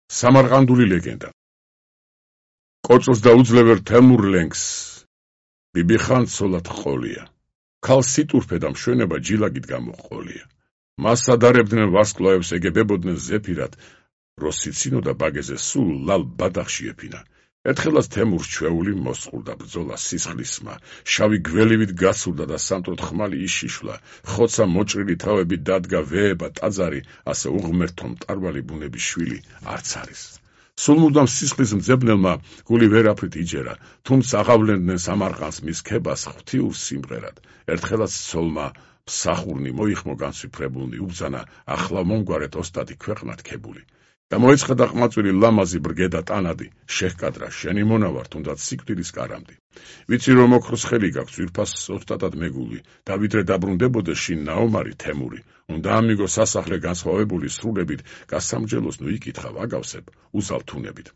სამარყანდული ლეგენდა. კოწოს დაუძლევერ თემურ ლენგს ბიბიხან ცოლად ყოლია. ქალს სიტურფე და მშვენება ჯილაგით გამოყოლია. მას ადარებდნენ ვარსკვლავებს ეგებებოდნენ ზეფირად, როსიცინო და ბაგეზე სულ ლალ ბადახში ეფინა. ერთხელაც თემურს ჩვეული მოსწყურდა ბრძოლა სისხლისმა, შავი გველივით გასურდა და სამტროდ ხმალი იშიშვლა, ხოცა მოჭრილი თავებით დადგა ვეება ტაძარი, ასე უღმერთო მტარვალი ბუნების შვილი არც არის. სულ მუდამ სისხლის მძებნელმა გული ვერაფრით იჯერა, თუმცა აღავლენდნენ სამარყანს მის ქებას ღვთიურ სიმღერად. ერთხელაც ცოლმა მსახურნი მოიხმო განსვიფრებულნი, უბრძანა ახლა მომგვარეთ ოსტატი ქვეყნად ქებული. გამოეცხადა ყმაწვილი ლამაზი ბრგედა ტანადი, შეჰკადრა შენი მონავარ თუნდაც სიკვდილის კარამდი. ვიცი რომ ოქროს ხელი გაქვს ძვირფას ოსტატად მეგული, და ვიდრე დაბრუნდებოდეს შინ ნაომარი თემური, უნდა ამიგო სასახლე განსხვავებული სრულებით, გასამჯელოს ნუ იკითხავ აგავსებ, უზალთუნებით.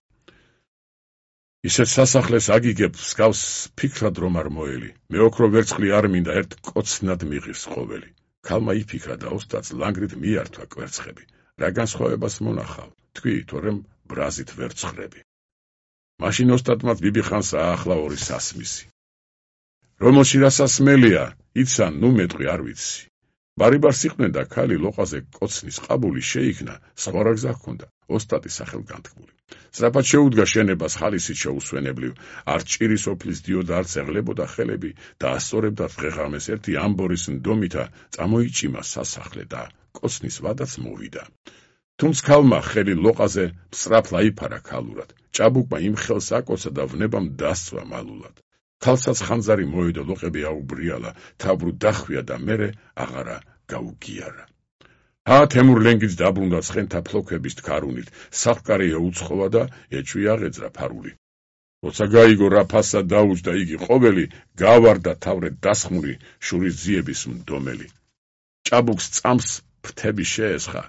ისეთ სასახლეს აგიგებ მსგავს ფიქრად რომ არ მოელი, მე ოქრო ვერცხლი არ მინდა ერთ კოცნად მიღირს ყოველი. ქალმა იფიქრა და ოსტატს ლანგრით მიართვა კვერცხები. რა განსხვავებას მონახავ, თქვი, თორემ ბრაზით ვერ ცხრები. მაშინ ოსტატმაც ბიბიხანს აახლა ორი სასმისი. რომელში რა სასმელია, იცან, ნუ მეტყვი არ ვიცი. ბარიბარს იყვნენ და ქალი ლოყაზე კოცნის ყაბული შეიქმნა, სხვა რა გზა ჰქონდა, ოსტატი სახელგანთქმული. სწრაფად შეუდგა შენებას ხალისით შეუსვენებლივ, არ ჭირის ოფლის დიოდა, არც ეღლებოდა ხელები და ასწორებდა დღეღამეს ერთი ამბორის ნდომითა წამოიჭიმა სასახლე და კოცნის ვადაც მოვიდა. თუმცა ქალმა ხელი ლოყაზე სწრაფ აიფარა ქალურად, ჭაბუკმა იმ ხელს აკოცა და ვნებამ დასწვა მალულად. ქალსაც ხანძარი მოედო, ლოყები აუბრიალა, თავბრუ დახვია და მერე აღარა გაუგიარა. თემურ ლენგიც დაბრუნდა ცხენთა ფლოქების თქარუნით, საფკარეა უცხოვა და ეჭვი აღეძრა ფარული. როცა გაიგო რა ფასა დაუჯდა იგი ყოველი, გავარდა თავრეთ დასხმული შურის ძიების მდომელი. ჭაბუკს წამს ფრთები შეესხა,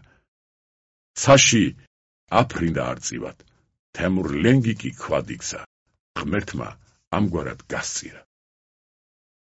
ცაში აფრინდა არწივად. თემურ ლენგი კი ქვად იქცა, ღმერთმა ამგვარად გასწირა.